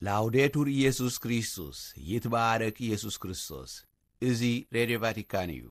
ላውዴቱር ኢየሱስ ክርስቶስ፣ ይትባረክ ኢየሱስ ክርስቶስ። እዚ ሬድዮ ቫቲካን እዩ።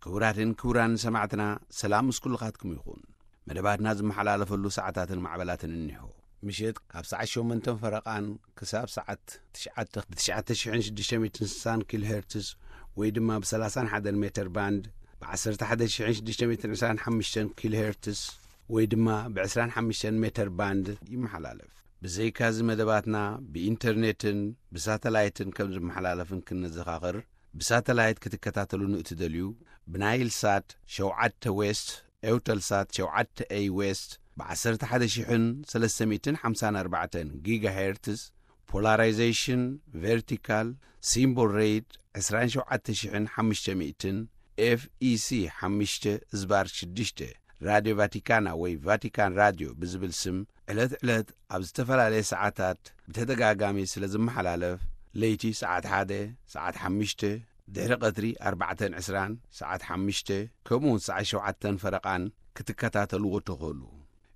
ክቡራትን ክቡራን ሰማዕትና፣ ሰላም ምስ ኩልኻትኩም ይኹን። መደባትና ዝመሓላለፈሉ ሰዓታትን ማዕበላትን እኒሆ። ምሸት ካብ ሰዓት ሸሞንተን ፈረቓን ክሳብ ሰዓት ትሽዓተ ብ ትሽዓተ ሽሕን ሽዱሽተ ሚእትን ስሳን ኪሎ ሄርትስ ወይ ድማ ብ ሰላሳን ሓደን ሜተር ባንድ፣ ብ ዓሰርተ ሓደ ሽሕን ሽዱሽተ ሚእትን ዕስራን ሓሙሽተን ኪሎ ሄርትስ ወይ ድማ ብ ዕስራን ሓሙሽተን ሜተር ባንድ ይመሓላለፍ። ብዘይካዚ መደባትና ብኢንተርኔትን ብሳተላይትን ከም ዝመሓላለፍን ክንዘኻኽር፣ ብሳተላይት ክትከታተሉ ንእትደልዩ፣ ብናይል ሳት ሸውዓተ ዌስት፣ ኤውተል ሳት ሸውዓተ ኤይ ዌስት፣ ብ ዓሰርተ ሓደ ሽሕን ሰለስተ ሚእትን ሓምሳን ኣርባዕተን ጊጋ ሄርትስ፣ ፖላራይዜሽን ቨርቲካል፣ ሲምቦል ሬት ዕስራን ሸውዓተ ሽሕን ሓሙሽተ ሚእትን፣ ኤፍ ኢ ሲ ሓሙሽተ ዝባር ሽዱሽተ፣ ራድዮ ቫቲካና ወይ ቫቲካን ራድዮ ብዝብል ስም ዕለት ዕለት ኣብ ዝተፈላለየ ሰዓታት ብተደጋጋሚ ስለ ዝመሓላለፍ፣ ለይቲ ሰዓት ሓደ፣ ሰዓት ሓሙሽተ፣ ድሕሪ ቀትሪ ኣርባዕተን ዕስራን፣ ሰዓት ሓሙሽተ፣ ከምኡ እውን ሰዓት ሸውዓተን ፈረቓን ክትከታተልዎ ትኽእሉ።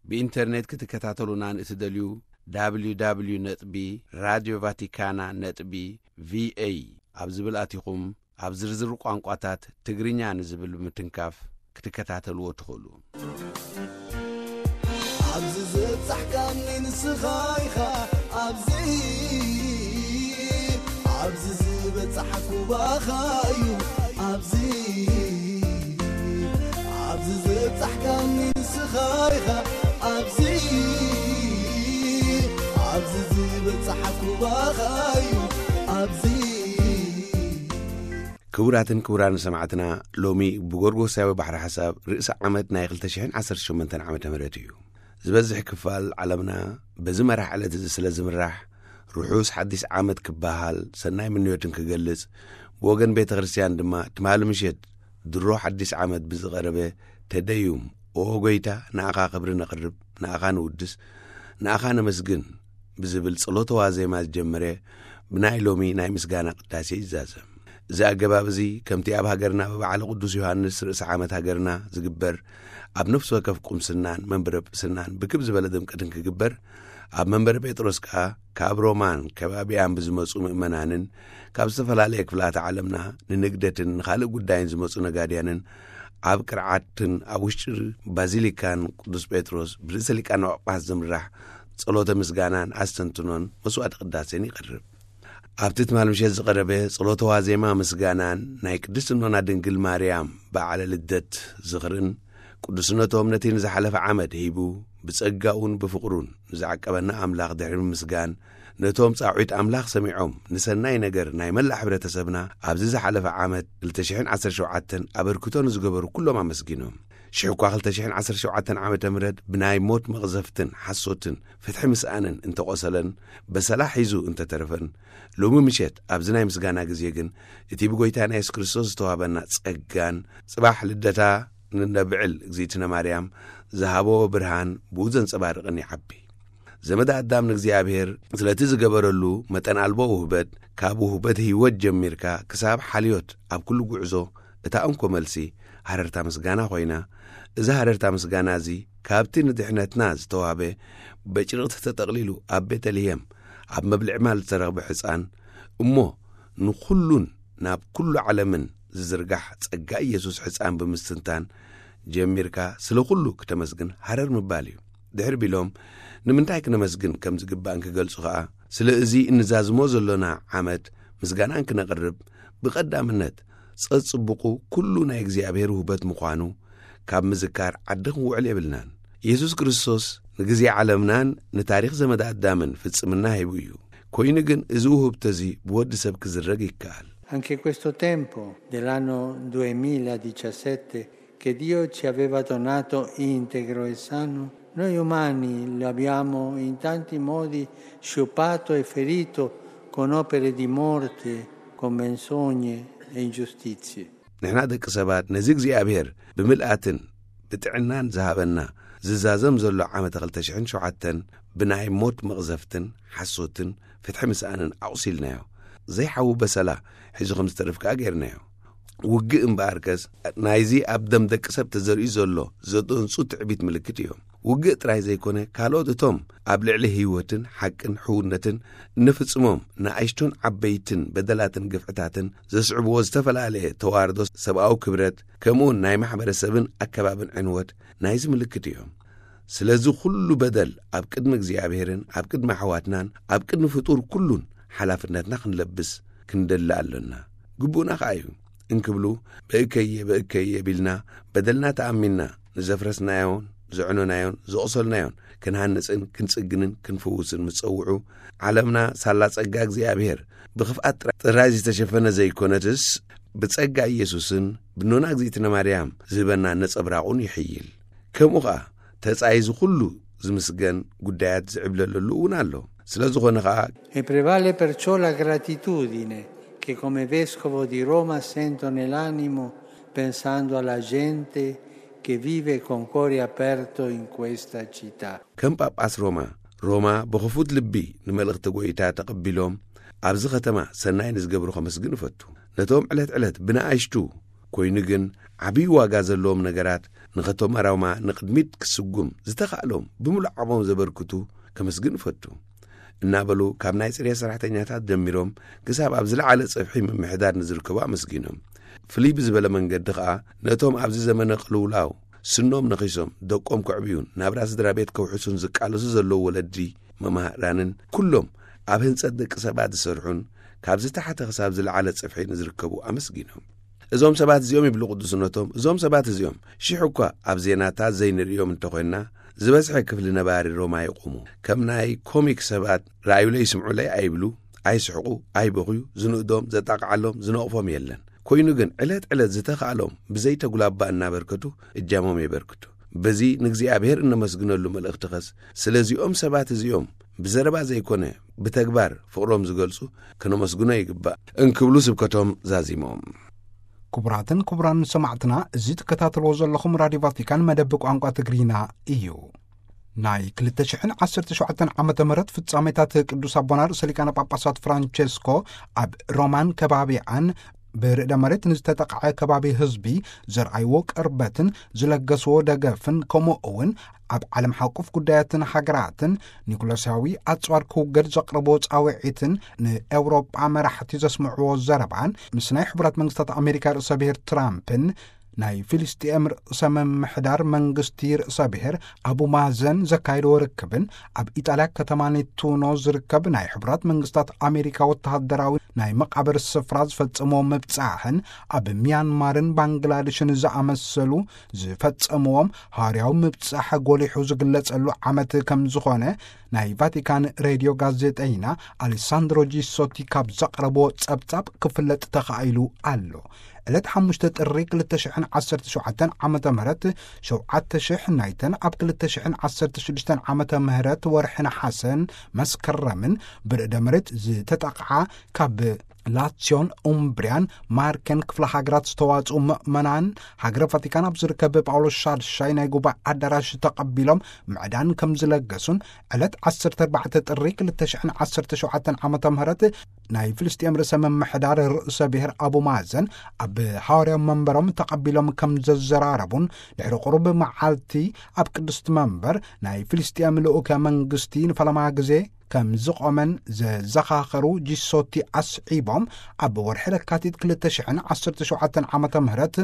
ብኢንተርኔት ክትከታተሉና ንእትደልዩ፣ www ነጥቢ ራድዮ ቫቲካና ነጥቢ ቪ ኤ ኣብ ዝብል ኣቲኹም፣ ኣብ ዝርዝር ቋንቋታት ትግርኛ ንዝብል ብምትንካፍ ክትከታተልዎ ትኽእሉ። ኣብዚ ዝበጻሕካኒ ንስኻ ኢኻ፣ ኣብዚ፣ ኣብዚ ዝበጻሕኩ ባኻ እዩ፣ ኣብዚ፣ ኣብዚ ዝበጻሕካኒ ንስኻ ኢኻ፣ ኣብዚ፣ ኣብዚ ዝበጻሕኩ ባኻ እዩ፣ ኣብዚ። ክቡራትን ክቡራን ሰማዕትና፣ ሎሚ ብጎርጎሳዊ ባሕሪ ሓሳብ ርእሲ ዓመት ናይ ክልተ ሽሕን ዓሰርተ ሸሞንተን ዓመተ ምህረት እዩ። ዝበዝሕ ክፋል ዓለምና በዚ መራሕ ዕለት እዚ ስለ ዝምራሕ፣ ርሑስ ሓዲስ ዓመት ክበሃል ሰናይ ምንዮትን ክገልጽ፣ ብወገን ቤተ ክርስቲያን ድማ ትማሊ ምሸት ድሮ ሓዲስ ዓመት ብዝቐረበ ተደዩም፣ ኦ ጎይታ፣ ንኣኻ ክብሪ ነቕርብ፣ ንኣኻ ንውድስ፣ ንኣኻ ነመስግን ብዝብል ጸሎተ ዋዜማ ዝጀመረ ብናይ ሎሚ ናይ ምስጋና ቅዳሴ ይዛዘም። እዚ ኣገባብ እዚ ከምቲ ኣብ ሃገርና ብበዓለ ቅዱስ ዮሃንስ ርእሲ ዓመት ሃገርና ዝግበር፣ ኣብ ነፍሲ ወከፍ ቁምስናን መንበረ ጵስናን ብክብ ዝበለ ድምቀትን ክግበር፣ ኣብ መንበረ ጴጥሮስ ከኣ ካብ ሮማን ከባቢኣን ብዝመጹ ምእመናንን ካብ ዝተፈላለየ ክፍላተ ዓለምና ንንግደትን ንኻልእ ጉዳይን ዝመጹ ነጋድያንን ኣብ ቅርዓትን ኣብ ውሽጢ ባዚሊካን ቅዱስ ጴጥሮስ ብርእሰ ሊቃነ ጳጳሳት ዝምራሕ ጸሎተ ምስጋናን ኣስተንትኖን መስዋዕተ ቅዳሴን ይቐርብ። ኣብቲ ትማል ምሸት ዝቐረበ ጸሎተ ዋዜማ ምስጋናን ናይ ቅድስት እኖና ድንግል ማርያም በዓለ ልደት ዝኽርን፣ ቅዱስነቶም ነቲ ንዝሓለፈ ዓመት ሂቡ ብጸጋኡን ብፍቕሩን ንዝዓቀበና ኣምላኽ ድሕሪ ምምስጋን፣ ነቶም ጻውዒት ኣምላኽ ሰሚዖም ንሰናይ ነገር ናይ መላእ ሕብረተሰብና ኣብዚ ዝሓለፈ ዓመት ክልተ ሽሕን ዓሰርተ ሸውዓተን ኣበርክቶ ንዝገበሩ ኩሎም ኣመስጊኖም። ሽሕ እኳ ክልተ ሽሕን ዓሰርተ ሸውዓተን ዓመተ ምህረት ብናይ ሞት መቕዘፍትን ሓሶትን ፍትሒ ምስኣንን እንተቖሰለን፣ በሰላ ሒዙ እንተተረፈን፣ ሎሚ ምሸት ኣብዚ ናይ ምስጋና ግዜ ግን እቲ ብጎይታና የሱስ ክርስቶስ ዝተዋህበና ጸጋን ጽባሕ ልደታ ንነብዕል እግዚእትነ ማርያም ዝሃቦ ብርሃን ብኡ ዘንጸባርቕን ይዓቢ። ዘመደ ኣዳም ንእግዚኣብሔር ስለቲ ዝገበረሉ መጠን ኣልቦ ውህበት፣ ካብ ውህበት ህይወት ጀሚርካ ክሳብ ሓልዮት ኣብ ኩሉ ጉዕዞ እታ እንኮ መልሲ ሃረርታ ምስጋና ኮይና፣ እዚ ሃረርታ ምስጋና እዚ ካብቲ ንድሕነትና ዝተዋህበ በጭርቕቲ ተጠቕሊሉ ኣብ ቤተልሔም ኣብ መብልዒ ማል ዝተረኽበ ሕፃን እሞ ንኹሉን ናብ ኩሉ ዓለምን ዝዝርጋሕ ጸጋ ኢየሱስ ሕፃን ብምስትንታን ጀሚርካ ስለ ኩሉ ክተመስግን ሃረር ምባል እዩ። ድሕር ቢሎም ንምንታይ ክነመስግን ከም ዝግባእን ክገልጹ ኸኣ፣ ስለ እዚ እንዛዝሞ ዘሎና ዓመት ምስጋናን ክነቕርብ ብቐዳምነት ጸጽቡቑ ኩሉ ናይ እግዚኣብሔር ውህበት ምዃኑ ካብ ምዝካር ዓዲ ክንውዕል የብልናን። ኢየሱስ ክርስቶስ ንግዜ ዓለምናን ንታሪኽ ዘመድ ኣዳምን ፍጽምና ሂቡ እዩ። ኮይኑ ግን እዚ ውህብቶ እዚ ብወዲ ሰብ ክዝረግ ይከኣል። Anche questo tempo dell'anno duemiladiciassette che Dio ci aveva donato integro e sano, noi umani l'abbiamo in tanti modi sciupato e ferito con opere di morte, con menzogne e ingiustizie. ንሕና ደቂ ሰባት ነዚ እግዚኣብሔር ብምልኣትን ብጥዕናን ዝሃበና ዝዛዘም ዘሎ ዓመተ ክልተ ሽሕን ሸውዓተን ብናይ ሞት መቕዘፍትን ሓሶትን ፍትሒ ምስኣንን ኣቑሲልናዮ። ዘይሓዊ በሰላ ሒዙ ከም ዝተርፍ ከኣ ጌርናዮ። ውግእ እምበኣርከስ ናይዚ ኣብ ደም ደቂ ሰብ ተዘሪኡ ዘሎ ዘደንጹ ትዕቢት ምልክት እዮም። ውግእ ጥራይ ዘይኮነ፣ ካልኦት እቶም ኣብ ልዕሊ ህይወትን ሓቅን ሕውነትን እንፍጽሞም ንኣሽቱን ዓበይትን በደላትን ግፍዕታትን ዘስዕብዎ ዝተፈላለየ ተዋርዶ፣ ሰብኣዊ ክብረት፣ ከምኡውን ናይ ማሕበረሰብን ኣከባብን ዕንወት ናይዚ ምልክት እዮም። ስለዚ ኩሉ በደል ኣብ ቅድሚ እግዚኣብሔርን ኣብ ቅድሚ ኣሕዋትናን ኣብ ቅድሚ ፍጡር ኩሉን ሓላፍነትና ክንለብስ ክንደሊ ኣሎና። ግቡእና ከኣ እዩ። እንክብሉ፣ "ብእከየ፣ ብእከየ" ቢልና በደልና ተኣሚንና ንዘፍረስናዮን ዘዕኖናዮን ዘቑሰልናዮን ክንሃንጽን ክንጽግንን ክንፍውስን ምስ ጸውዑ፣ ዓለምና ሳላ ጸጋ እግዚኣብሔር ብኽፍኣት ጥራ-፣ ጥራይ ዝተሸፈነ ዘይኮነትስ፣ ብጸጋ ኢየሱስን ብኖና እግዚኣብእትነ ማርያም ዝህበና ነጸብራቑን ይሕይል። ከምኡ ኸኣ ተጻይ እዚ ኩሉ ዝምስገን ጉዳያት ዝዕብለለሉ እውን ኣሎ። ስለ ዝኾነ ኸኣ E prevale perciò la gratitudine che come vescovo di Roma sento nell'animo pensando alla gente che vive con cuore aperto in questa città. ከም ጳጳስ ሮማ፣ ሮማ ብኽፉት ልቢ ንመልእኽቲ ጐይታ ተቐቢሎም ኣብዚ ኸተማ ሰናይ ንዝገብሩ ኸመስግን እፈቱ። ነቶም ዕለት ዕለት ብንኣሽቱ ኮይኑ ግን ዓብዪ ዋጋ ዘለዎም ነገራት ንኸተማ ሮማ ንቕድሚት ክስጉም ዝተኻእሎም ብምሉእ ዓቕሞም ዘበርክቱ ከመስግን እፈቱ። እናበሉ ካብ ናይ ጽሬት ሰራሕተኛታት ጀሚሮም ክሳብ ኣብ ዝለዓለ ጽፍሒ ምምሕዳር ንዝርከቡ ኣመስጊኖም። ፍልይ ብዝበለ መንገዲ ኸኣ ነቶም ኣብዚ ዘመነ ቅልውላው ስኖም ነኺሶም ደቆም ከዕብዩን ናብራ ስድራ ቤት ከውሕሱን ዝቃለሱ ዘለዉ ወለዲ፣ መማህራንን ኩሎም ኣብ ህንጸት ደቂ ሰባት ዝሰርሑን ካብ ዝተሓተ ክሳብ ዝለዓለ ጽፍሒ ንዝርከቡ ኣመስጊኖም። እዞም ሰባት እዚኦም ይብሉ ቅዱስነቶም፣ እዞም ሰባት እዚኦም ሽሕ እኳ ኣብ ዜናታት ዘይንርእዮም እንተኾንና፣ ዝበዝሐ ክፍሊ ነባሪ ሮማ ይቑሙ። ከም ናይ ኮሚክ ሰባት ረኣዩለይ ስምዑለይ ኣይብሉ፣ ኣይስሕቑ፣ ኣይበኽዩ፣ ዝንእዶም፣ ዘጣቕዓሎም፣ ዝነቕፎም የለን። ኮይኑ ግን ዕለት ዕለት ዝተኻእሎም ብዘይተጉላባ እናበርከቱ እጃሞም የበርክቱ። በዚ ንእግዚኣብሔር እነመስግነሉ መልእኽቲ ኸስ ስለዚኦም ሰባት እዚኦም ብዘረባ ዘይኮነ ብተግባር ፍቕሮም ዝገልጹ ከነመስግኖ ይግባእ እንክብሉ ስብከቶም ዛዚሞም። ክቡራትን ክቡራን ሰማዕትና፣ እዚ ትከታተልዎ ዘለኹም ራዲዮ ቫቲካን መደብ ቋንቋ ትግርኛ እዩ። ናይ ክልተ ሽሕን ዓሰርተ ሸውዓተን ዓመተ ምህረት ፍጻሜታት ቅዱስ ኣቦና ርእሰ ሊቃነ ጳጳሳት ፍራንቸስኮ ኣብ ሮማን ከባቢኣን ብርዕደ መሬት ንዝተጠቕዐ ከባቢ ህዝቢ ዘርኣይዎ ቅርበትን ዝለገስዎ ደገፍን፣ ከምኡ እውን ኣብ ዓለም ሓቁፍ ጉዳያትን ሃገራትን ኒኩለሳዊ ኣጽዋር ክውገድ ዘቕረቦ ጻውዒትን ንኤውሮጳ መራሕቲ ዘስምዕዎ ዘረባን ምስ ናይ ሕቡራት መንግስታት ኣሜሪካ ርእሰ ብሔር ትራምፕን ናይ ፍልስጤም ርእሰ ምምሕዳር መንግስቲ ርእሰ ብሔር ኣቡ ማዘን ዘካየድዎ ርክብን ኣብ ኢጣልያ ከተማ ኔቱኖ ዝርከብ ናይ ሕቡራት መንግስታት ኣሜሪካ ወተሃደራዊ ናይ መቓብር ስፍራ ዝፈጸምዎ ምብጻሕን ኣብ ሚያንማርን ባንግላዴሽን ዝኣመሰሉ ዝፈጸምዎም ሃዋርያዊ ምብጻሕ ጎሊሑ ዝግለጸሉ ዓመት ከም ዝኾነ ናይ ቫቲካን ሬድዮ ጋዜጠይና ኣሌሳንድሮ ጂሶቲ ካብ ዘቕረቦ ጸብጻብ ክፍለጥ ተኻኢሉ ኣሎ። ዕለት ሓሙሽተ ጥሪ ክልተ ሽሕን ዓሰርተ ሸውዓተን ዓመተ ምህረት ሸውዓተ ሽሕ ናይተን ኣብ ክልተ ሽሕን ዓሰርተ ሽዱሽተን ዓመተ ምህረት ወርሒ ነሓሰን መስከረምን ብርዕደ መሬት ዝተጠቕዓ ካብ ላትሲዮን ኡምብሪያን ማርከን ክፍለ ሃገራት ዝተዋጽኡ ምእመናን ሃገረ ቫቲካን ኣብ ዝርከብ ጳውሎስ ሻድሻይ ናይ ጉባኤ ኣዳራሽ ተቐቢሎም ምዕዳን ከም ዝለገሱን ዕለት ዓሰርተ ኣርባዕተ ጥሪ ክልተ ሽሕን ዓሰርተ ሸውዓተን ዓመተ ምህረት ናይ ፍልስጤም ርእሰ ምምሕዳር ርእሰ ብሔር ኣቡ ማዘን ኣብ ሃዋርያዊ መንበሮም ተቐቢሎም ከም ዘዘራረቡን ድሕሪ ቁሩብ መዓልቲ ኣብ ቅድስቲ መንበር ናይ ፍልስጤም ልኡከ መንግስቲ ንፈለማ ግዜ ከም ዝቖመን ዘዘኻኸሩ ጂሶቲ ኣስዒቦም፣ ኣብ ወርሒ ለካቲት ክልተ ሽሕን ዓሰርተ ሸውዓተን ዓመተ ምህረት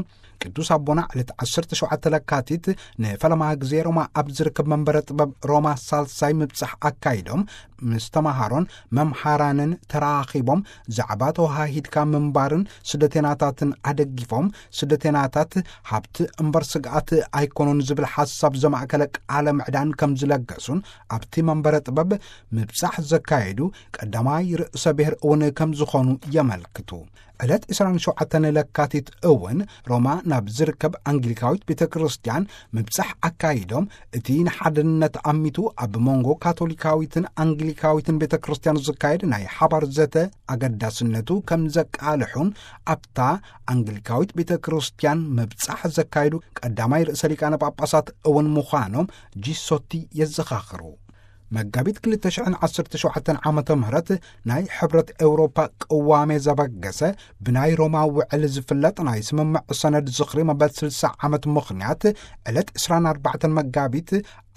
ቅዱስ ኣቦና ዕለት ዓሰርተ ሸውዓተ ለካቲት ንፈለማ ግዜ ሮማ ኣብ ዝርከብ መንበረ ጥበብ ሮማ ሳልሳይ ምብጻሕ ኣካይዶም ምስ ተማሃሮን መምሃራንን ተራኺቦም ዛዕባ ተወሃሂድካ ምንባርን ስደተናታትን ኣደጊፎም፣ ስደተናታት ሃብቲ እምበር ስግኣት ኣይኮኑን ዝብል ሓሳብ ዘማእከለ ቃለ ምዕዳን ከም ዝለገሱን ኣብቲ መንበረ ጥበብ ምብጻሕ ዘካየዱ ቀዳማይ ርእሰ ብሔር እውን ከም ዝኾኑ የመልክቱ። ዕለት ዕስራን ሸውዓተን ለካቲት እውን ሮማ ናብ ዝርከብ ኣንግሊካዊት ቤተ ክርስቲያን ምብጻሕ ኣካይዶም፣ እቲ ንሓድነት ኣሚቱ ኣብ መንጎ ካቶሊካዊትን ኣንግሊካዊትን ቤተ ክርስቲያን ዝካየድ ናይ ሓባር ዘተ ኣገዳስነቱ ከም ዘቃልሑን፣ ኣብታ ኣንግሊካዊት ቤተ ክርስቲያን ምብጻሕ ዘካይዱ ቀዳማይ ርእሰ ሊቃነ ጳጳሳት እውን ምዃኖም ጂሶቲ የዘኻኽሩ። መጋቢት ክልተ ሽሕን ዓሰርተ ሸውዓተን ዓመተ ምህረት ናይ ሕብረት ኤውሮፓ ቅዋሜ ዘበገሰ፣ ብናይ ሮማ ውዕል ዝፍለጥ ናይ ስምምዕ ሰነድ ዝኽሪ መበል ስልሳ ዓመት ምኽንያት፣ ዕለት ዕስራን ኣርባዕተን መጋቢት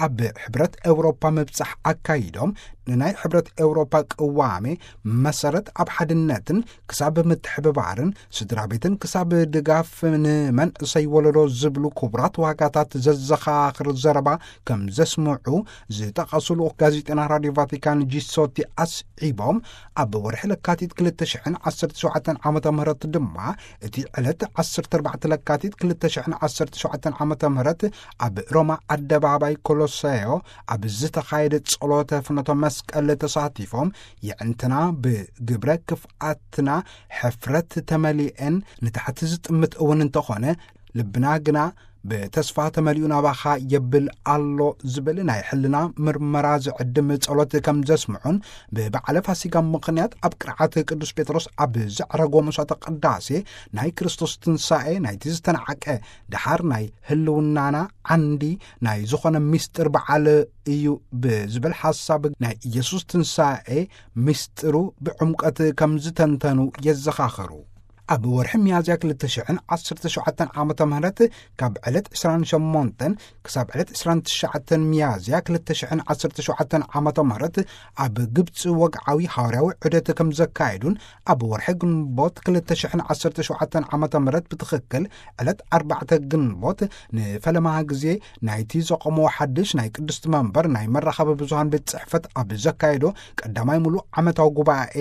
ኣብ ሕብረት ኤውሮፓ ምብጻሕ ኣካይዶም፣ ንናይ ሕብረት ኤውሮፓ ቅዋሜ መሰረት ኣብ ሓድነትን ክሳብ ምትሕብባርን ስድራ ቤትን ክሳብ ድጋፍ ንመንእሰይ ወለዶ ዝብሉ ክቡራት ዋጋታት ዘዘኻኽር ዘረባ ከም ዘስምዑ ዝጠቐሱ ልኡኽ ጋዜጠና ራድዮ ቫቲካን ጂሶቲ ኣስዒቦም፣ ኣብ ወርሒ ለካቲት ክልተ ሽሕን ዓሰርተ ሸውዓተን ዓመተ ምህረት ድማ፣ እቲ ዕለት ዓሰርተ ኣርባዕተ ለካቲት ክልተ ሽሕን ዓሰርተ ሸውዓተን ዓመተ ምህረት ኣብ ሮማ ኣደባባይ ኮሎሰዮ ኣብ ዝተኻየደ ጸሎተ ፍኖተ መስቀል ተሳቲፎም፣ የዕንትና ብግብረ ክፍኣትና ሕፍረት ተመሊኤን ንታሕቲ ዝጥምት እውን እንተኾነ፣ ልብና ግና ብተስፋ ተመሊኡ ናባኻ የብል ኣሎ ዝብል ናይ ሕልና ምርመራ ዝዕድም ጸሎት ከም ዘስምዑን፣ ብበዓለ ፋሲጋ ምኽንያት ኣብ ቅርዓት ቅዱስ ጴጥሮስ ኣብ ዘዕረጎ መስዋዕተ ቅዳሴ፣ ናይ ክርስቶስ ትንሳኤ ናይቲ ዝተናዕቀ ደሓር ናይ ህልውናና ዓንዲ ናይ ዝኾነ ምስጢር በዓል እዩ ብዝብል ሓሳብ፣ ናይ ኢየሱስ ትንሳኤ ምስጢሩ ብዕምቀት ከም ዝተንተኑ የዘኻኸሩ። ኣብ ወርሒ ሚያዝያ ክልተ ሽሕን ዓሰርተ ሸውዓተን ዓመተ ምህረት፣ ካብ ዕለት ዕስራን ሸሞንተን ክሳብ ዕለት ዕስራን ትሽዓተን ሚያዝያ ክልተ ሽሕን ዓሰርተ ሸውዓተን ዓመተ ምህረት፣ ኣብ ግብፂ ወግዓዊ ሃዋርያዊ ዑደት ከም ዘካየዱን፣ ኣብ ወርሒ ግንቦት ክልተ ሽሕን ዓሰርተ ሸውዓተን ዓመተ ምህረት፣ ብትኽክል ዕለት ኣርባዕተ ግንቦት፣ ንፈለማ ግዜ ናይቲ ዘቆምዎ ሓድሽ ናይ ቅድስቲ መንበር ናይ መራኸቢ ብዙሃን ቤት ጽሕፈት ኣብ ዘካየዶ ቀዳማይ ሙሉእ ዓመታዊ ጉባኤ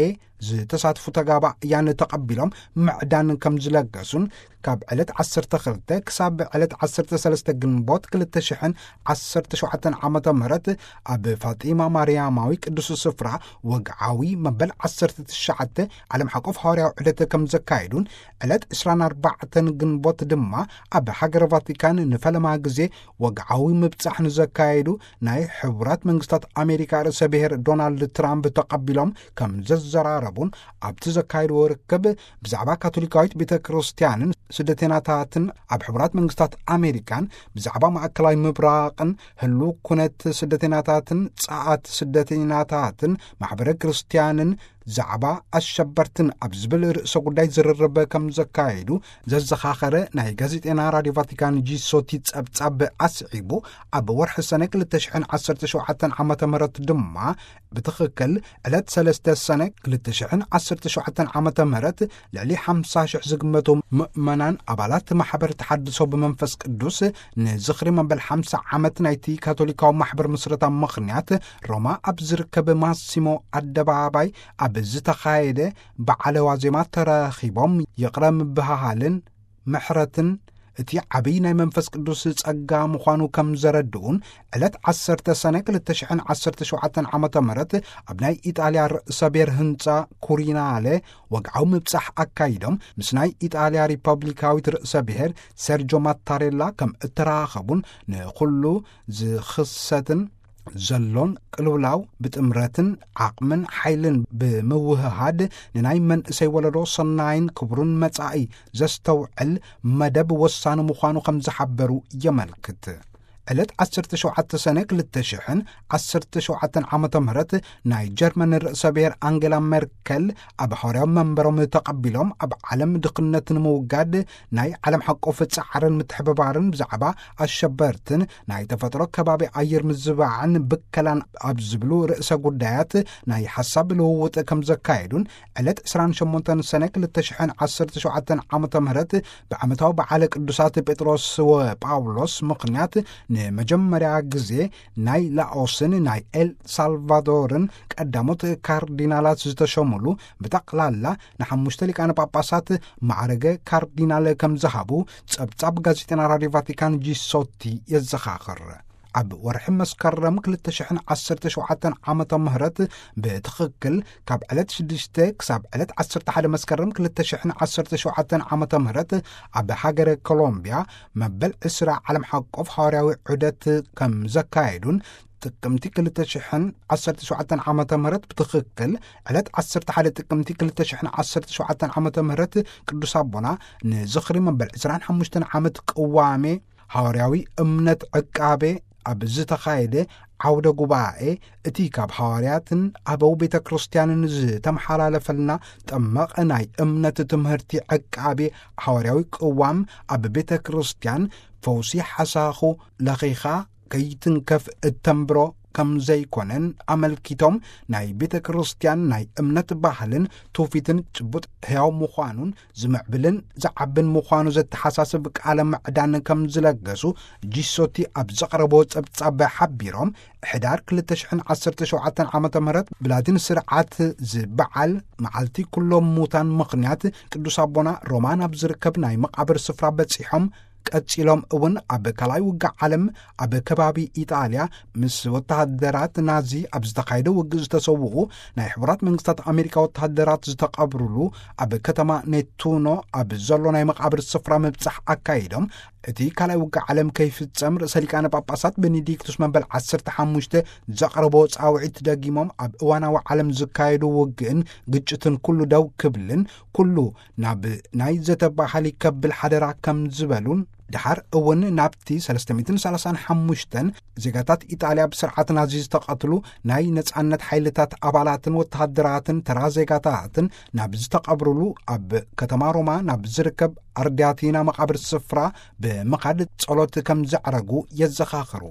ዝተሳትፉ ተጋባእያን ተቐቢሎም ምዕዳን ከም ዝለገሱን፣ ካብ ዕለት ዓሰርተ ክልተ ክሳብ ዕለት ዓሰርተ ሰለስተ ግንቦት ክልተ ሽሕን ዓሰርተ ሸውዓተን ዓመተ ምህረት፣ ኣብ ፋጢማ ማርያማዊ ቅዱስ ስፍራ ወግዓዊ መበል ዓሰርተ ትሽዓተ ዓለም ሓቆፍ ሃዋርያዊ ዑደት ከም ዘካየዱን፣ ዕለት ዕስራን ኣርባዕተን ግንቦት ድማ ኣብ ሃገረ ቫቲካን ንፈለማ ግዜ ወግዓዊ ምብጻሕ ንዘካየዱ ናይ ሕቡራት መንግስታት ኣሜሪካ ርእሰ ብሔር ዶናልድ ትራምፕ ተቐቢሎም ከም ዘዘራረቡን፣ ኣብቲ ዘካየድዎ ርክብ ብዛዕባ ካቶሊካዊት ቤተ ክርስቲያንን ስደተኛታትን ኣብ ሕቡራት መንግስታት ኣሜሪካን፣ ብዛዕባ ማእከላዊ ምብራቕን ህሉው ኩነት ስደተኛታትን ጸኣት ስደተኛታትን ማሕበረ ክርስቲያንን ዛዕባ ኣሸበርትን ኣብ ዝብል ርእሰ ጉዳይ ዝርርብ ከም ዘካየዱ ዘዘኻኸረ ናይ ጋዜጠና ራድዮ ቫቲካን ጂሶቲ ጸብጻብ ኣስዒቡ፣ ኣብ ወርሒ ሰነ ክልተ ሽሕን ዓሰርተ ሸውዓተን ዓመተ ምህረት ድማ፣ ብትኽክል ዕለት ሰለስተ ሰነ ክልተ ሽሕን ዓሰርተ ሸውዓተን ዓመተ ምህረት፣ ልዕሊ ሓምሳ ሽሕ ዝግመቱ ምእመናን ኣባላት ማሕበር ተሓድሶ ብመንፈስ ቅዱስ ንዝኽሪ መበል ሓምሳ ዓመት ናይቲ ካቶሊካዊ ማሕበር ምስረታ ምኽንያት፣ ሮማ ኣብ ዝርከብ ማሲሞ ኣደባባይ ኣብ ዝተኻየደ በዓለ ዋዜማ ተረኺቦም፣ ይቕረ ምብህሃልን ምሕረትን እቲ ዓብዪ ናይ መንፈስ ቅዱስ ጸጋ ምዃኑ ከም ዘረድኡን፣ ዕለት ዓሰርተ ሰነ ክልተ ሽሕን ዓሰርተ ሸውዓተን ዓመተ ምህረት ኣብ ናይ ኢጣልያ ርእሰ ብሔር ህንጻ ኩሪናለ ወግዓዊ ምብጻሕ ኣካይዶም፣ ምስ ናይ ኢጣልያ ሪፐብሊካዊት ርእሰ ብሔር ሰርጆ ማታሬላ ከም እተራኸቡን፣ ንኹሉ ዝኽሰትን ዘሎን ቅልውላው ብጥምረትን ዓቕምን ሓይልን ብምውህሃድ፣ ንናይ መንእሰይ ወለዶ ሰናይን ክቡርን መጻኢ ዘስተውዕል መደብ ወሳኒ ምዃኑ ከም ዝሓበሩ የመልክት። ዕለት ዓሰርተ ሸውዓተ ሰነ ክልተ ሽሕን ዓሰርተ ሸውዓተን ዓመተ ምህረት፣ ናይ ጀርመን ርእሰ ብሔር ኣንጌላ ሜርከል ኣብ ሃዋርያዊ መንበሮም ተቐቢሎም፣ ኣብ ዓለም ድኽነት ንምውጋድ ናይ ዓለም ሓቆፍ ጻዕርን ምትሕብባርን ብዛዕባ ኣሸበርትን ናይ ተፈጥሮ ከባቢ ኣየር ምዝባዕን ብከላን ኣብ ዝብሉ ርእሰ ጉዳያት ናይ ሓሳብ ልውውጥ ከም ዘካየዱን፣ ዕለት ዕስራን ሸሞንተን ሰነ ክልተ ሽሕን ዓሰርተ ሸውዓተን ዓመተ ምህረት ብዓመታዊ በዓለ ቅዱሳት ጴጥሮስ ወጳውሎስ ምኽንያት፣ ንመጀመርያ ግዜ ናይ ላኦስን ናይ ኤል ሳልቫዶርን ቀዳሞት ካርዲናላት ዝተሸሙሉ፣ ብጠቕላላ ንሓሙሽተ ሊቃነ ጳጳሳት ማዕረገ ካርዲናል ከም ዝሃቡ ጸብጻብ ጋዜጠና ራድዮ ቫቲካን ጂሶቲ የዘኻኽር። ኣብ ወርሒ መስከረም ክልተ ሽሕን ዓሰርተ ሸውዓተን ዓመተ ምህረት ብትኽክል ካብ ዕለት ሽዱሽተ ክሳብ ዕለት ዓሰርተ ሓደ መስከረም ክልተ ሽሕን ዓሰርተ ሸውዓተን ዓመተ ምህረት ኣብ ሃገረ ኮሎምቢያ መበል ዕስራ ዓለም ሓቆፍ ሃዋርያዊ ዑደት ከም ዘካየዱን ጥቅምቲ ክልተ ሽሕን ዓሰርተ ሸውዓተን ዓመተ ምህረት ብትኽክል ዕለት ዓሰርተ ሓደ ጥቅምቲ ክልተ ሽሕን ዓሰርተ ሸውዓተን ዓመተ ምህረት ቅዱስ ኣቦና ንዝኽሪ መበል ዕስራን ሓሙሽተን ዓመት ቅዋሜ ሃዋርያዊ እምነት ዕቃቤ ኣብ ዝተኻየደ ዓውደ ጉባኤ እቲ ካብ ሃዋርያትን ኣበው ቤተ ክርስቲያንን ዝተመሓላለፈልና ጠመቐ ናይ እምነት ትምህርቲ ዕቃቤ ሃዋርያዊ ቅዋም ኣብ ቤተ ክርስቲያን ፈውሲ ሓሳኹ ለኺኻ ከይትንከፍ እተንብሮ ከም ዘይኮነን ኣመልኪቶም ናይ ቤተ ክርስቲያን ናይ እምነት ባህልን ትውፊትን ጭቡጥ ሕያው ምዃኑን ዝምዕብልን ዝዓብን ምዃኑ ዘተሓሳስብ ቃለ ምዕዳን ከም ዝለገሱ ጂሶቲ ኣብ ዘቕረቦ ጸብጻብ ሓቢሮም፣ ሕዳር ክልተ ሽሕን ዓሰርተ ሸውዓተን ዓመተ ምህረት ብላቲን ስርዓት ዝበዓል መዓልቲ ኩሎም ሙታን ምኽንያት ቅዱስ ኣቦና ሮማ ናብ ዝርከብ ናይ መቓብር ስፍራ በጺሖም ቀጺሎም እውን ኣብ ካልኣይ ውግእ ዓለም ኣብ ከባቢ ኢጣልያ ምስ ወተሃደራት ናዚ ኣብ ዝተኻየደ ውግእ ዝተሰውኡ ናይ ሕቡራት መንግስታት ኣሜሪካ ወተሃደራት ዝተቐብሩሉ ኣብ ከተማ ኔቱኖ ኣብ ዘሎ ናይ መቓብር ስፍራ ምብጻሕ ኣካይዶም፣ እቲ ካልኣይ ውግእ ዓለም ከይፍጸም ርእሰ ሊቃነ ጳጳሳት ቤኔዲክቱስ መበል ዓሰርተ ሓሙሽተ ዘቕረቦ ጻውዒት ደጊሞም ኣብ እዋናዊ ዓለም ዝካየዱ ውግእን ግጭትን ኩሉ ደው ክብልን ኩሉ ናብ ናይ ዘተ ባህሊ ከብል ሓደራ ከም ዝበሉን፣ ደሓር እውን ናብቲ ሰለስተ ሚእትን ሰላሳን ሓሙሽተን ዜጋታት ኢጣልያ ብስርዓት ናዚ ዝተቐትሉ ናይ ነጻነት ሓይልታት ኣባላትን ወተሃደራትን ተራ ዜጋታትን ናብ ዝተቐብሩሉ ኣብ ከተማ ሮማ ናብ ዝርከብ ኣርዲያቲና መቓብር ስፍራ ብምኻድ ጸሎት ከም ዘዕረጉ የዘኻኽሩ።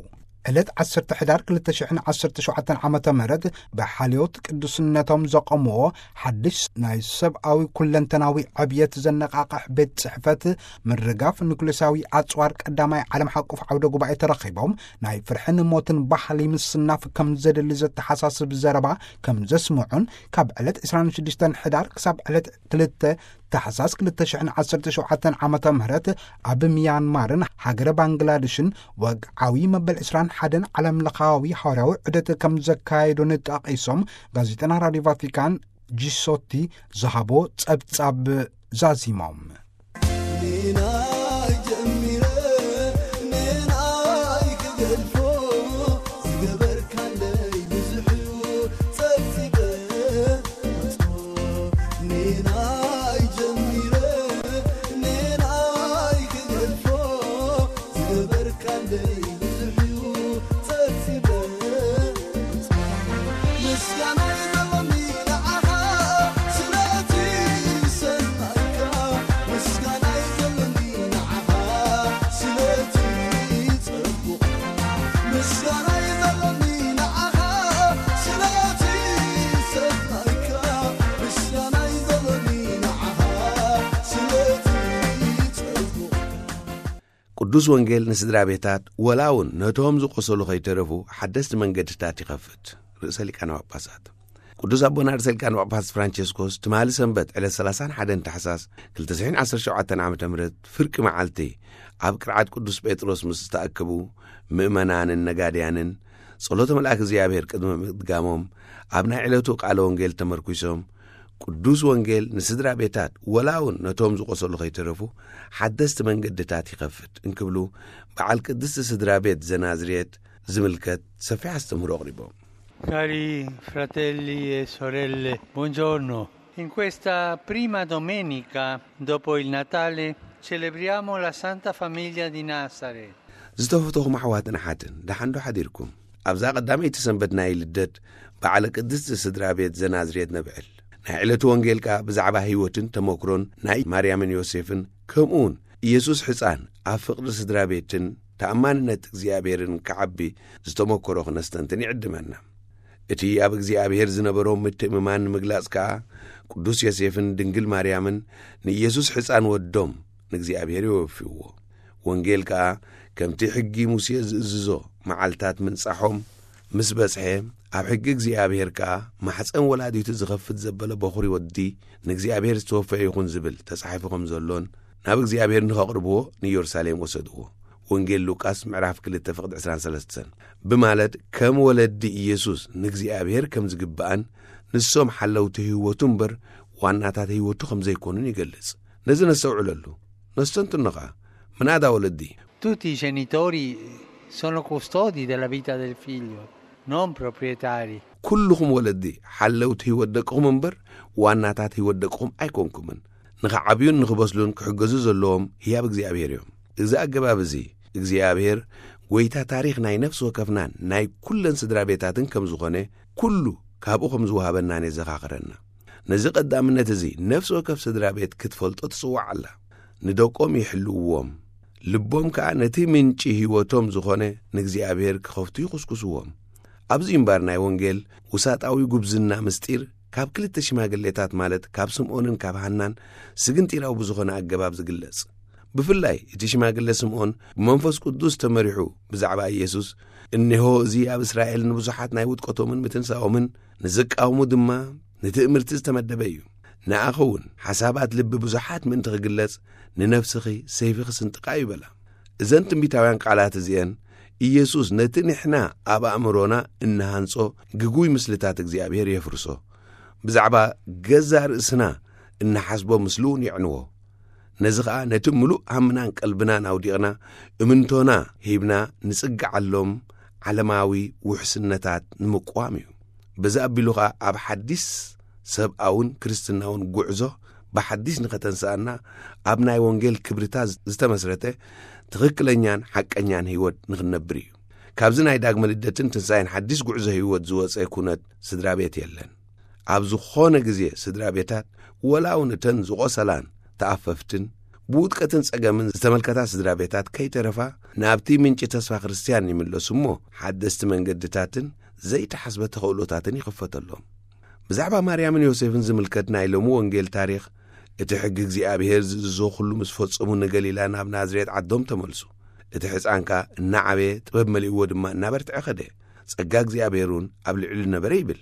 ዕለት ዓሰርተ ሕዳር ክልተ ሽሕን ዓሰርተ ሸውዓተን ዓመተ ምህረት ብሓልዮት ቅዱስነቶም ዘቐምዎ ሓድሽ ናይ ሰብኣዊ ኩለንተናዊ ዕብየት ዘነቓቕሕ ቤት ጽሕፈት ምርጋፍ ኑክሌሳዊ ኣጽዋር ቀዳማይ ዓለም ሓቆፍ ዓውደ ጉባኤ ተረኺቦም ናይ ፍርሕን ሞትን ባህሊ ምስናፍ ከም ዘድሊ ዘተሓሳስብ ዘረባ ከም ዘስምዑን ካብ ዕለት ዕስራን ሽዱሽተን ሕዳር ክሳብ ዕለት ክልተ ታሕሳስ ክልተ ሽሕን ዓሰርተ ሸውዓተን ዓመተ ምህረት ኣብ ሚያንማርን ሃገረ ባንግላድሽን ወግዓዊ መበል ዕስራን ሓደን ዓለም ለኻዊ ሃዋርያዊ ዑደት ከም ዘካየዱን ጠቒሶም ጋዜጠና ራድዮ ቫቲካን ጂሶቲ ዝሃቦ ጸብጻብ ዛዚሞም። ኔናይ ጀሚረ ኔናይ ክገድፎ ዝገበርካለይ ብዙሕ እዩ ጸብጺበ ኔናይ ጀሚረ ኔናይ ክገድፎ ዝገበርካለይ ብዙሕ እዩ ጸብጺበ። ምስጋናይ ዘለኒ ንዓኻ ስለቲ ሰናይካ፣ ምስጋናይ ዘለኒ ንዓኻ ስለቲ ጸጉቕ፣ ምስጋናይ ዘለኒ ንዓኻ ስለቲ ሰናይካ፣ ምስጋናይ ዘለኒ ንዓኻ ስለቲ ጸጉቕ። ቅዱስ ወንጌል ንስድራ ቤታት፣ ወላ እውን ነቶም ዝቖሰሉ ከይተረፉ ሓደስቲ መንገድታት ይኸፍት። ርእሰ ሊቃነ ጳጳሳት ቅዱስ ኣቦና ርእሰ ሊቃነ ጳጳሳት ፍራንቸስኮስ ትማሊ ሰንበት ዕለት ሰላሳን ሓደን ታሕሳስ ክልተ ሽሕን ዓሰርተ ሸውዓተን ዓመተ ምህረት ፍርቂ መዓልቲ ኣብ ቅርዓት ቅዱስ ጴጥሮስ ምስ ዝተኣከቡ ምእመናንን ነጋድያንን ጸሎተ መልኣክ እግዚኣብሔር ቅድሚ ምድጋሞም ኣብ ናይ ዕለቱ ቃለ ወንጌል ተመርኲሶም ቅዱስ ወንጌል ንስድራ ቤታት ወላ እውን ነቶም ዝቖሰሉ ከይተረፉ ሓደስቲ መንገድታት ይኸፍት እንክብሉ በዓል ቅድስቲ ስድራ ቤት ዘናዝሬት ዝምልከት ሰፊሕ ኣስተምህሮ ኣቕሪቦም። Cari fratelli e sorelle, buongiorno. In questa prima domenica dopo il Natale celebriamo la Santa Famiglia di Nazareth. ዝተፈተኹም ኣሕዋትን ኣሓትን ደሓንዶ ሓዲርኩም? ኣብዛ ቀዳመይቲ ሰንበት ናይ ልደት በዓለ ቅድስቲ ስድራ ቤት ዘናዝሬት ነብዕል። ናይ ዕለቱ ወንጌል ከኣ ብዛዕባ ህይወትን ተመክሮን ናይ ማርያምን ዮሴፍን ከምኡውን ኢየሱስ ሕፃን ኣብ ፍቕሪ ስድራ ቤትን ተኣማንነት እግዚኣብሔርን ክዓቢ ዝተመክሮ ክነስተንትን ይዕድመና። እቲ ኣብ እግዚኣብሔር ዝነበሮም ምትእምማን ንምግላጽ ከኣ ቅዱስ ዮሴፍን ድንግል ማርያምን ንኢየሱስ ሕፃን ወዶም ንእግዚኣብሔር የወፍይዎ። ወንጌል ከኣ ከምቲ ሕጊ ሙሴ ዝእዝዞ መዓልታት ምንጻሖም ምስ በጽሐ ኣብ ሕጊ እግዚኣብሔር ከኣ ማሕፀን ወላዲቱ ዝኸፍት ዘበለ በኹሪ ወዲ ንእግዚኣብሔር ዝተወፈየ ይኹን ዝብል ተጻሒፉ ከም ዘሎን ናብ እግዚኣብሔር ንኸቕርብዎ ንኢየሩሳሌም ወሰድዎ። ወንጌል ሉቃስ ምዕራፍ ክልተ ፍቕዲ ዕስራን ሰለስተን። ብማለት ከም ወለዲ ኢየሱስ ንእግዚኣብሔር ከም ዝግብኣን ንሶም ሓለውቲ ህይወቱ እምበር ዋናታት ህይወቱ ከም ዘይኮኑን ይገልጽ። ነዚ ነስተውዕለሉ፣ ነስተንትኖ ኸኣ። ምናዳ ወለዲ፣ Tutti i genitori sono custodi della vita del figlio, non proprietari. ኩልኹም ወለዲ ሓለውቲ ህይወት ደቅኹም እምበር ዋናታት ህይወት ደቅኹም ኣይኮንኩምን። ንኽዓብዩን ንኽበስሉን ክሕገዙ ዘለዎም ህያብ እግዚኣብሔር እዮም። እዚ ኣገባብ እዚ እግዚኣብሔር ጐይታ ታሪኽ ናይ ነፍሲ ወከፍናን ናይ ኩለን ስድራ ቤታትን ከም ዝኾነ ኩሉ ካብኡ ከም ዝወሃበናን የዘኻኽረና። ነዚ ቀዳምነት እዚ ነፍሲ ወከፍ ስድራ ቤት ክትፈልጦ ትጽዋዕ ኣላ። ንደቆም ይሕልውዎም፣ ልቦም ከኣ ነቲ ምንጪ ህይወቶም ዝኾነ ንእግዚኣብሔር ክኸፍቱ ይኹስኩስዎም። ኣብዚ እምባር ናይ ወንጌል ውሳጣዊ ጉብዝና ምስጢር ካብ ክልተ ሽማግሌታት ማለት ካብ ስምዖንን ካብ ሃናን ስግንጢራዊ ብዝኾነ ኣገባብ ዝግለጽ። ብፍላይ እቲ ሽማግለ ስምዖን ብመንፈስ ቅዱስ ተመሪሑ ብዛዕባ ኢየሱስ፣ "እነሆ እዚ ኣብ እስራኤል ንብዙሓት ናይ ውድቀቶምን ምትንሳኦምን ንዝቃወሙ ድማ ንትእምርቲ ዝተመደበ እዩ። ንኣኸ እውን ሓሳባት ልቢ ብዙሓት ምእንቲ ክግለጽ ንነፍስኺ ሰይፊ ክስንጥቃ እዩ" በላ። እዘን ትንቢታውያን ቃላት እዚአን ኢየሱስ ነቲ ንሕና ኣብ ኣእምሮና እንሃንጾ ግጉይ ምስልታት እግዚኣብሔር የፍርሶ። ብዛዕባ ገዛ ርእስና እንሓስቦ ምስሉ እውን የዕንዎ። ነዚ ኸኣ ነቲ ምሉእ ሃምናን ቀልብናን ኣውዲቕና እምንቶና ሂብና ንጽግዓሎም ዓለማዊ ውሕስነታት ንምቅዋም እዩ። በዚ ኣቢሉ ኸኣ ኣብ ሓዲስ ሰብኣውን ክርስትናውን ጉዕዞ ብሓዲስ ንኸተንስኣና ኣብ ናይ ወንጌል ክብርታ ዝተመስረተ ትኽክለኛን ሓቀኛን ህይወት ንኽንነብር እዩ። ካብዚ ናይ ዳግመ ልደትን ትንሳኤን ሓዲስ ጉዕዞ ህይወት ዝወጸ ኩነት ስድራ ቤት የለን። ኣብ ዝኾነ ግዜ ስድራ ቤታት ወላ እውን እተን ዝቖሰላን ተኣፈፍትን ብውድቀትን ጸገምን ዝተመልከታ ስድራ ቤታት ከይተረፋ ናብቲ ምንጪ ተስፋ ክርስትያን ይምለሱ እሞ ሓደስቲ መንገድታትን ዘይተሓስበ ተኽእሎታትን ይኽፈተሎም። ብዛዕባ ማርያምን ዮሴፍን ዝምልከት ናይ ሎሚ ወንጌል ታሪኽ፣ እቲ ሕጊ እግዚኣብሔር ዝእዝዞ ኩሉ ምስ ፈጸሙ ንገሊላ ናብ ናዝሬት ዓዶም ተመልሱ። እቲ ሕፃን ከኣ እናዓበየ ጥበብ መሊእዎ ድማ እናበርትዐ ኸደ። ጸጋ እግዚኣብሔር እውን ኣብ ልዕሊ ነበረ ይብል።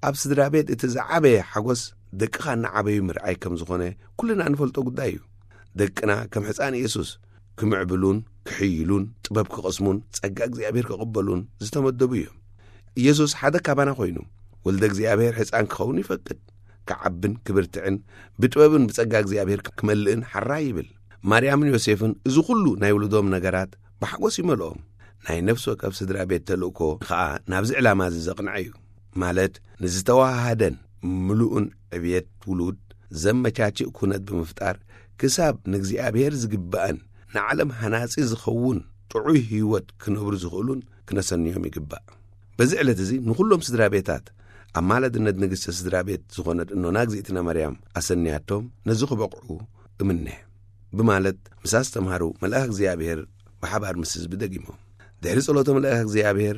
ኣብ ስድራ ቤት እቲ ዝዓበየ ሓጎስ ደቅኻ እናዓበዩ ምርኣይ ከም ዝኾነ ኩልና እንፈልጦ ጉዳይ እዩ። ደቅና ከም ሕፃን ኢየሱስ ክምዕብሉን ክሕይሉን ጥበብ ክቐስሙን ጸጋ እግዚኣብሔር ክቕበሉን ዝተመደቡ እዮም። ኢየሱስ ሓደ ካባና ኮይኑ ወልደ እግዚኣብሔር ሕፃን ክኸውን ይፈቅድ። ክዓብን ክብርትዕን ብጥበብን ብጸጋ እግዚኣብሔር ክመልእን ሓራይ ይብል። ማርያምን ዮሴፍን እዚ ኩሉ ናይ ውልዶም ነገራት ብሓጎስ ይመልኦም። ናይ ነፍሲ ወከፍ ስድራ ቤት ተልእኮ ኸኣ ናብዚ ዕላማ እዚ ዘቕንዐ እዩ። ማለት ንዝተዋሃደን ምሉእን ዕብየት ውሉድ ዘመቻችእ ኩነት ብምፍጣር ክሳብ ንእግዚኣብሔር ዝግባእን ንዓለም ሃናጺ ዝኸውን ጥዑይ ህይወት ክነብሩ ዝኽእሉን ክነሰንዮም ይግባእ። በዚ ዕለት እዚ ንኹሎም ስድራ ቤታት ኣማላድነት ንግስተ ስድራ ቤት ዝኾነት እኖና እግዚኣብትና ማርያም ኣሰንያቶም ነዚ ክበቕዑ እምነ። ብማለት ምስ ኣስተምሃሩ መልኣኽ እግዚኣብሔር ብሓባር ምስ ህዝቢ ደጊሞም። ድሕሪ ጸሎቶም መልኣኽ እግዚኣብሔር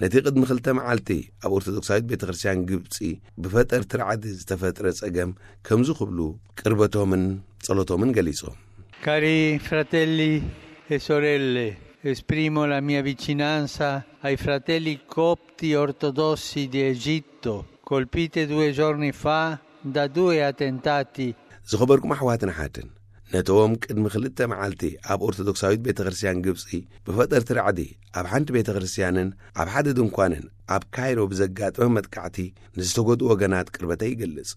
ነቲ ቅድሚ ክልተ መዓልቲ ኣብ ኦርቶዶክሳዊት ቤተ ክርስቲያን ግብጺ ብፈጠርቲ ርዓዲ ዝተፈጥረ ጸገም ከምዚ ክብሉ ቅርበቶምን ጸሎቶምን ገሊጾም። Cari fratelli e sorelle, esprimo la mia vicinanza ai fratelli copti ortodossi di Egitto, colpite due giorni fa da due attentati. ዝኸበርኩም ኣሕዋትን ኣሓትን፣ ነቶም ቅድሚ ክልተ መዓልቲ ኣብ ኦርቶዶክሳዊት ቤተ ክርስቲያን ግብጺ ብፈጠርቲ ራዕዲ ኣብ ሓንቲ ቤተ ክርስቲያንን ኣብ ሓደ ድንኳንን ኣብ ካይሮ ብዘጋጠመ መጥቃዕቲ ንዝተጎድኡ ወገናት ቅርበተይ ይገልጽ።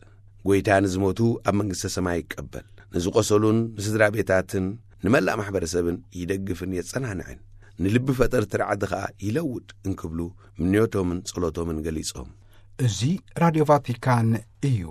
ጐይታ ንዝሞቱ ኣብ መንግስተ ሰማይ ይቀበል። ንዝቆሰሉን ንስድራ ቤታትን ንመላእ ማሕበረሰብን ይደግፍን የጸናንዕን። ንልቢ ፈጠርቲ ራዕዲ ኸኣ ይለውጥ እንክብሉ ምንዮቶምን ጸሎቶምን ገሊጾም። እዚ ራድዮ ቫቲካን እዩ።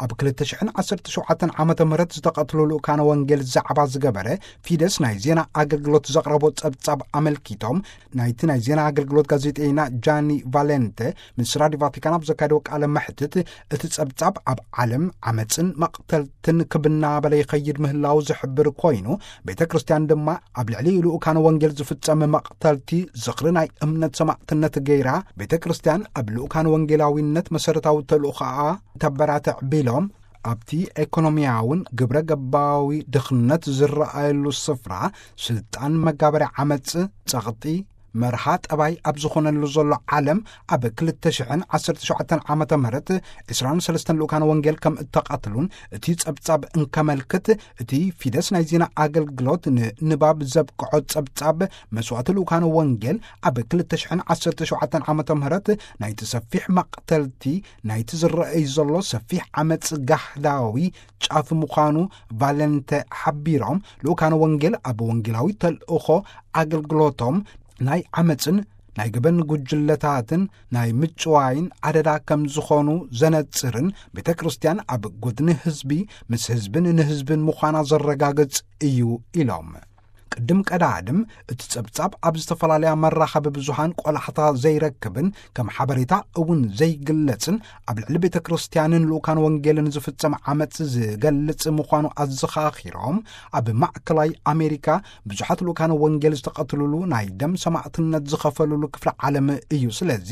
ኣብ ክልተ ሽሕን ዓሰርተ ሸውዓተን ዓመተ ምህረት ዝተቐትሉ ልኡካነ ወንጌል ዛዕባ ዝገበረ ፊደስ ናይ ዜና ኣገልግሎት ዘቕረቦ ጸብጻብ ኣመልኪቶም፣ ናይቲ ናይ ዜና ኣገልግሎት ጋዜጠይና ጃኒ ቫሌንተ ምስ ራድዮ ቫቲካን ኣብ ዘካየደዎ ቃለ መሕትት፣ እቲ ጸብጻብ ኣብ ዓለም ዓመጽን መቕተልትን ክብናበለ ይኸይድ ምህላው ዝሕብር ኮይኑ፣ ቤተ ክርስቲያን ድማ ኣብ ልዕሊ ልኡካነ ወንጌል ዝፍጸም መቕተልቲ ዝኽሪ ናይ እምነት ሰማዕትነት ገይራ፣ ቤተ ክርስቲያን ኣብ ልኡካነ ወንጌላዊነት መሰረታዊ ተልእኾኣ ተበራትዕ ቢሎም፣ ኣብቲ ኤኮኖሚያውን ግብረ ገባዊ ድኽነት ዝረኣየሉ ስፍራ ስልጣን መጋበሪ ዓመጽ፣ ጸቕጢ፣ መርሃ ጠባይ ኣብ ዝኾነሉ ዘሎ ዓለም፣ ኣብ ክልተ ሽሕን ዓሰርተ ሸውዓተን ዓመተ ምህረት ዕስራን ሰለስተን ልኡካን ወንጌል ከም እተቐትሉን፣ እቲ ጸብጻብ እንከመልክት፣ እቲ ፊደስ ናይ ዜና ኣገልግሎት ንንባብ ዘብቅዖ ጸብጻብ መስዋእቲ ልኡካን ወንጌል፣ ኣብ ክልተ ሽሕን ዓሰርተ ሸውዓተን ዓመተ ምህረት ናይቲ ሰፊሕ መቕተልቲ፣ ናይቲ ዝረኣይ ዘሎ ሰፊሕ ዓመጽ ጋህዳዊ ጫፍ ምዃኑ ቫለንተ ሓቢሮም፣ ልኡካን ወንጌል ኣብ ወንጌላዊ ተልእኾ ኣገልግሎቶም ናይ ዓመጽን ናይ ገበን ጉጅለታትን ናይ ምጭዋይን ኣደዳ ከም ዝኾኑ ዘነጽርን፣ ቤተ ክርስቲያን ኣብ ጎድኒ ህዝቢ፣ ምስ ህዝብን ንህዝብን ምዃና ዘረጋግጽ እዩ ኢሎም። ቅድም ቀዳድም እቲ ጸብጻብ ኣብ ዝተፈላለያ መራኸቢ ብዙሃን ቆላሕታ ዘይረክብን ከም ሓበሬታ እውን ዘይግለጽን፣ ኣብ ልዕሊ ቤተ ክርስቲያንን ልኡካን ወንጌልን ዝፍጸም ዓመጽ ዝገልጽ ምዃኑ ኣዘኻኺሮም፣ ኣብ ማእከላይ ኣሜሪካ ብዙሓት ልኡካን ወንጌል ዝተቐትሉሉ ናይ ደም ሰማዕትነት ዝኸፈሉሉ ክፍለ ዓለም እዩ። ስለዚ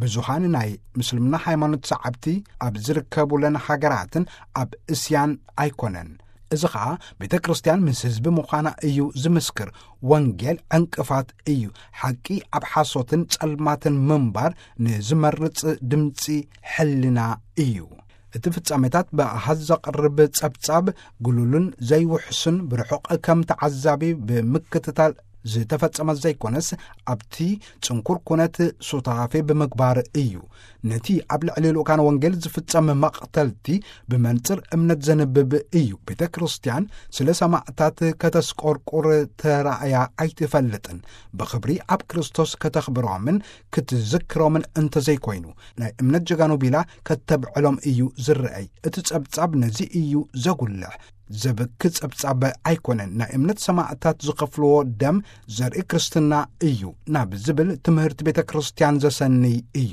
ብዙሃን ናይ ምስልምና ሃይማኖት ሰዓብቲ ኣብ ዝርከቡለን ሃገራትን ኣብ እስያን ኣይኮነን። እዚ ኸኣ ቤተ ክርስቲያን ምስ ህዝቢ ምዃና እዩ ዝምስክር። ወንጌል ዕንቅፋት እዩ። ሓቂ ኣብ ሓሶትን ጸልማትን ምንባር ንዝመርጽ ድምጺ ሕልና እዩ። እቲ ፍጻሜታት ብኣሃዝ ዘቕርብ ጸብጻብ ግሉልን ዘይውሕስን፣ ብርሑቕ ከም ተዓዛቢ ብምክትታል ዝተፈጸመ ዘይኮነስ፣ ኣብቲ ጽንኩር ኩነት ሱታፌ ብምግባር እዩ። ነቲ ኣብ ልዕሊ ልኡካን ወንጌል ዝፍጸም መቕተልቲ ብመንጽር እምነት ዘንብብ እዩ። ቤተ ክርስቲያን ስለ ሰማዕታት ከተስቆርቁር ተራእያ ኣይትፈልጥን። ብኽብሪ ኣብ ክርስቶስ ከተኽብሮምን ክትዝክሮምን እንተዘይኮይኑ፣ ናይ እምነት ጀጋኑ ቢላ ከተብዕሎም እዩ ዝረኣይ። እቲ ጸብጻብ ነዚ እዩ ዘጉልሕ። ዘብኪ ጸብጻብ ኣይኮነን። ናይ እምነት ሰማዕታት ዝኸፍልዎ ደም ዘርኢ ክርስትና እዩ ናብ ዝብል ትምህርቲ ቤተ ክርስቲያን ዘሰንይ እዩ።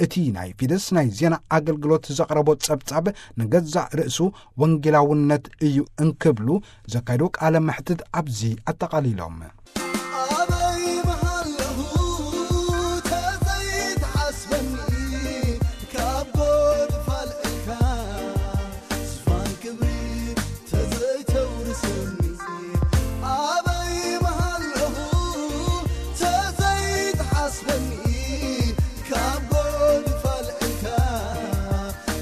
እቲ ናይ ፊደስ ናይ ዜና ኣገልግሎት ዘቕረቦ ጸብጻብ ንገዛእ ርእሱ ወንጌላውነት እዩ እንክብሉ ዘካየዶ ቃለ መሕትት ኣብዚ ኣጠቓሊሎም። ኣበይ ምሃለኹ ተዘይትሓስበኒ፣ ካብ ጎድፋል እካ ዝፋን ክብሪ ተዘይተውርሰኒ። ኣበይ ምሃለኹ ተዘይትሓስበኒ፣ ካብ ጎድፋል እካ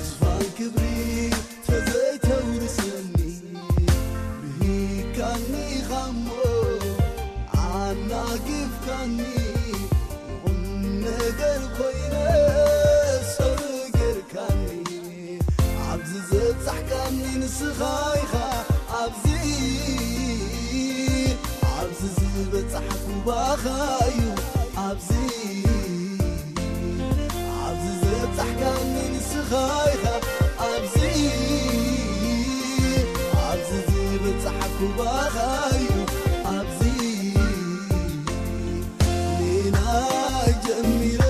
ዝፋን ክብሪ ተዘይተውርሰኒ። ብሂካኒ ኢኻሞ ኣናጊፍካኒ፣ ቁም ነገር ኮይነ ሰሩ ጌርካኒ። ኣብዚ ዘብጻሕካኒ ንስኻ ኢኻ፣ ኣብዚ፣ ኣብዚ ዝበጻሕኩ ባኻ እዩ፣ ኣብዚ ኣብዚ ዘብጻሕካኒ ንስኻ ኢኻ፣ ኣብዚ፣ ኣብዚ ዝበጻሕኩ ባኻ እዩ፣ ኣብዚ። ንናይ ጀሚረ፣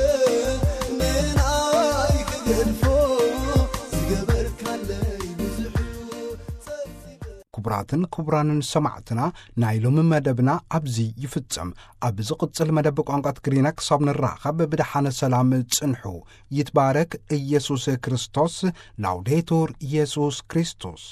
ንናይ ክገድፎ፣ ዝገበርካለይ ብዙሕ እዩ፣ ጸብጺበ። ክቡራትን ክቡራንን ሰማዕትና፣ ናይ ሎሚ መደብና ኣብዚ ይፍጸም። ኣብ ዝቕጽል መደብ ቋንቋ ትግርኛ ክሳብ ንራኸብ ብደሓነ ሰላም ጽንሑ። ይትባረክ ኢየሱስ ክርስቶስ። ላውዴቱር ኢየሱስ ክርስቶስ።